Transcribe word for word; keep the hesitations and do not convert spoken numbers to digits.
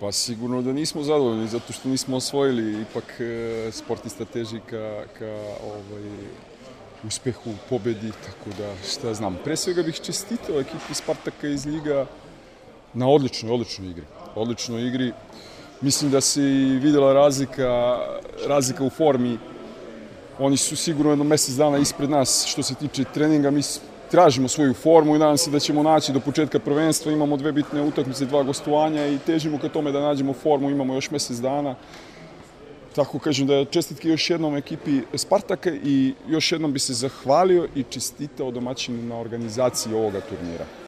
Pa sigurno da nismo zadovoljni, zato što nismo osvojili, ipak sportista teži ka, ka ovaj, uspehu, pobedi, tako da šta znam. Pre svega bih čestitao ekipi Spartaka iz Ljiga na odličnoj, odličnoj igri. Odličnoj igri. Mislim da se i videla razlika, razlika u formi. Oni su sigurno jedno mesec dana ispred nas što se tiče treninga. Mi tražimo svoju formu i nadam se da ćemo naći do početka prvenstva. Imamo dve bitne utakmice, dva gostovanja i težimo ka tome da nađemo formu. Imamo još mesec dana. Tako kažem da čestitke još jednom ekipi Spartaka i još jednom bi se zahvalio i čestitao domaćinu na organizaciji ovoga turnira.